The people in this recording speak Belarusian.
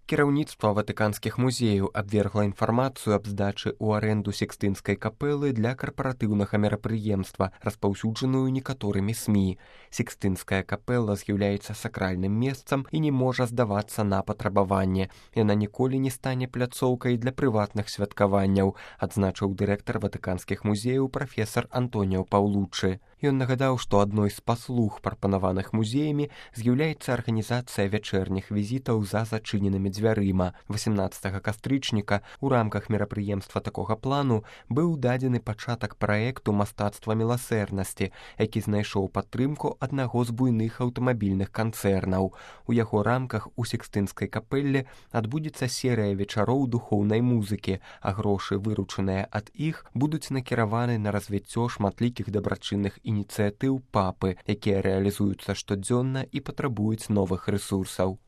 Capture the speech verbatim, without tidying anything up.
Кіраўніцтва ватыканскіх музеяў абвергла інфармацыю аб здачы ў арэнду Сікстынскай капэлы для карпаратыўнага мерапрыемства, распаўсюджаную некаторымі СМІ. Сікстынская капэла з'яўляецца сакральным месцам і не можа здавацца на патрабаванне. Яна ніколі не стане пляцоўкай для прыватных святкаванняў, адзначыў дырэктар ватыканскіх музеяў прафесар Антоніо Паўлуччы. Ён нагадаў, што адной з паслуг, прапанаваных музеямі, з'яўляецца арганізацыя вячэрніх візітаў за зачыненымі дзвярыма. васемнаццатага кастрычніка у рамках мерапрыемства такога плану быў дадзены пачатак праекту мастацтва міласэрнасці, які знайшоў падтрымку аднаго з буйных аўтамабільных канцэрнаў. У яго рамках у Сікстынскай капэлле адбудзецца серыя вечароў духоўнай музыкі, а грошы, выручаныя ад іх, будуць накіраваны на развіццё шматлікіх дабрачынных ініцыятыў папы, якія рэалізуюцца штодзённа і патрабуюць новых рэсурсаў.